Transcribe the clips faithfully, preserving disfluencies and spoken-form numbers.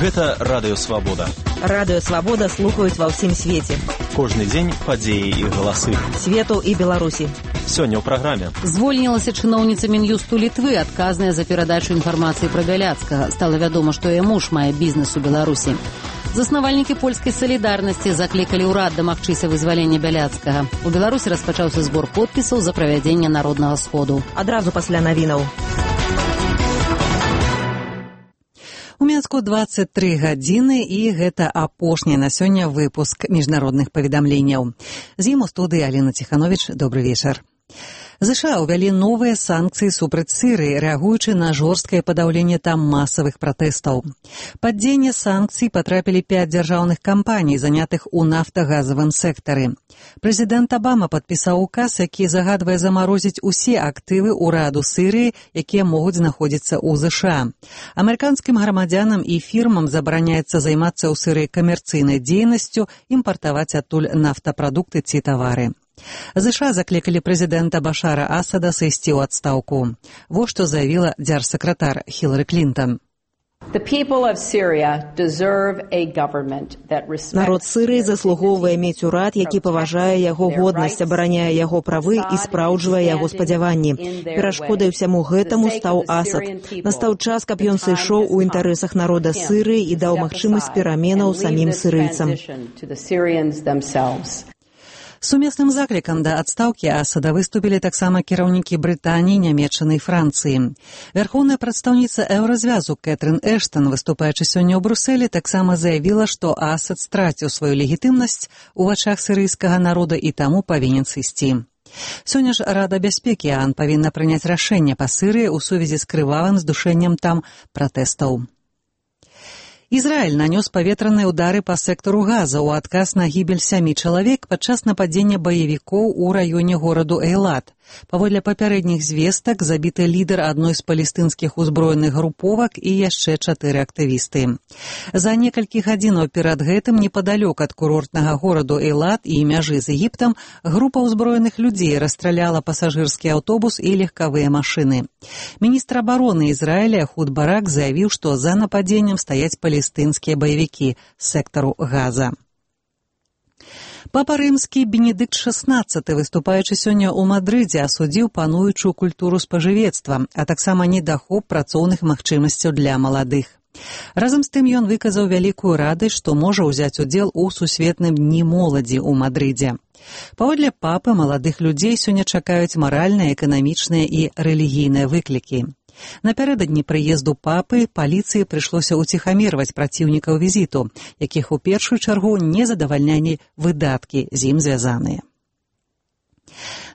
Гэта Радыё Свабода. Радыё Свабода слухаюць ва ўсім свеце. Кожны дзень падзеі і галасы. Свету і Беларусі. Сёння ў праграме. Звольнілася чыноўніца Мін'юсту Літвы, адказная за перадачу інфармацыі пра Бяляцкага. Стала вядома, што яе муж мае бізнес у Беларусі. Заснавальнікі польскай салідарнасці заклікалі ўрад дамагчыся вызвалення Бяляцкага. У Беларусі распачаўся збор подпісаў за правядзенне народнага сходу. Адразу пасля навінаў. У Мінску дваццаць тры гадзіны, і гэта апошні на сёння выпуск міжнародных паведамленняў. З ім у студыі Аліна Ціхановіч. Добры вечар. ЗША ўвялі новыя санкцыі супраць Сірыі, рэагуючы на жорсткае падаўленне там масавых пратэстаў. Пад дзеянне санкцый патрапілі пяць дзяржаўных кампаній, занятых у нафтагазавым сектары. Прэзідэнт Абама падпісаў указ, які загадвае замарозіць усе актывы ўраду Сірыі, якія могуць знаходзіцца ў ЗША. Амерыканскім грамадзянам і фірмам забараняецца займацца ў Сірыі камерцыйнай дзейнасцю, імпартаваць адтуль нафтапрадукты ці тавары. ЗША заклікалі прэзідэнта Башара Асада сысці ў адстаўку. Во што заявіла дзяржсакратар Хілары Клінтон. Народ Сірыі заслугоўвае мець урад, які паважае яго годнасць, абараняе яго правы і спраўджвае яго спадзяванні. Перашкодай усяму гэтаму стаў Асад. Настаў час, каб ён сышоў у інтарэсах народа Сірыі і даў магчымасць пераменаў самім сірыйцам. Сумесным заклікам да адстаўкі Асада выступілі таксама кіраўнікі Брытаніі, Нямецчыны і Францыі. Вярхоўная прадстаўніца Еўразвязу Кэтрын Эштан, выступаючы сёння ў Брусэлі, таксама заявіла, што Асад страціў сваю легітымнасць у вачах сірыйскага народа і таму павінен сысці. Сёння ж Рада бяспекі ААН павінна прыняць рашэнне па Сірыі ў сувязі з крывавым здушэннем там пратэстаў. Ізраіль нанёс паветраныя ўдары па сектару Газа ў адказ на гібель сямі чалавек падчас нападзення баевікоў у раёне гораду Эйлат. Паводле папярэдніх звестак забіты лідар адной з палестынскіх узброеных груповак і яшчэ чатыры актывісты. За некалькі гадзінаў перад гэтым непадалёк ад курортнага гораду Эйлат і мяжы з Егіптам група ўзброеных людзей расстраляла пасажырскі аўтобус і легкавыя машыны. Міністр абароны Ізраіля Эхуд Барак заявіў, што за нападзеннем стаяць палестынскія баевікі з сектару Газа. Папа рымскі Бенедыкт шаснаццаты, выступаючы сёння ў Мадрыдзе, асудзіў пануючую культуру спажывецтва, а таксама недахоп працоўных магчымасцяў для маладых. Разам з тым ён выказаў вялікую радасць, што можа ўзяць удзел у сусветным дні моладзі ў Мадрыдзе. Паводле папы, маладых людзей сёння чакаюць маральныя, эканамічныя і рэлігійныя выклікі. Напярэдадні прыезду папы паліцыі прыйшлося ўціхамірваць праціўнікаў візіту, якіх у першую чаргу не задавальнялі выдаткі з ім звязаныя.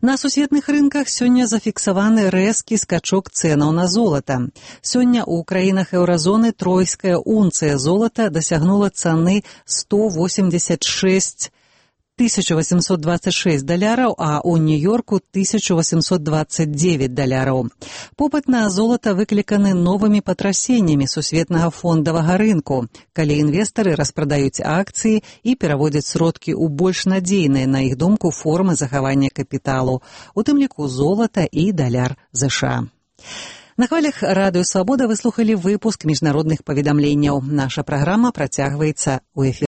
На сусветных рынках сёння зафіксаваны рэзкі скачок цэнаў на золата. Сёння ў краінах еўразоны тройская унцыя золата дасягнула цаны сто восемьдесят шесть тысяча восемьсот двадцать шесть даляраў, а ў Нью-Йорку тысяча восемьсот двадцать девять даляраў. Попыт на золата выкліканы новымі патрасеннямі сусветнага фондавага рынку, калі інвестары распрадаюць акцыі і пераводзяць сродкі ў больш надзейныя, на іх думку, формы захавання капіталу, у тым ліку золата і даляр ЗША. На хвалях Радыё Свабода вы слухалі выпуск міжнародных паведамленняў. Наша праграма працягваецца ў эфіры.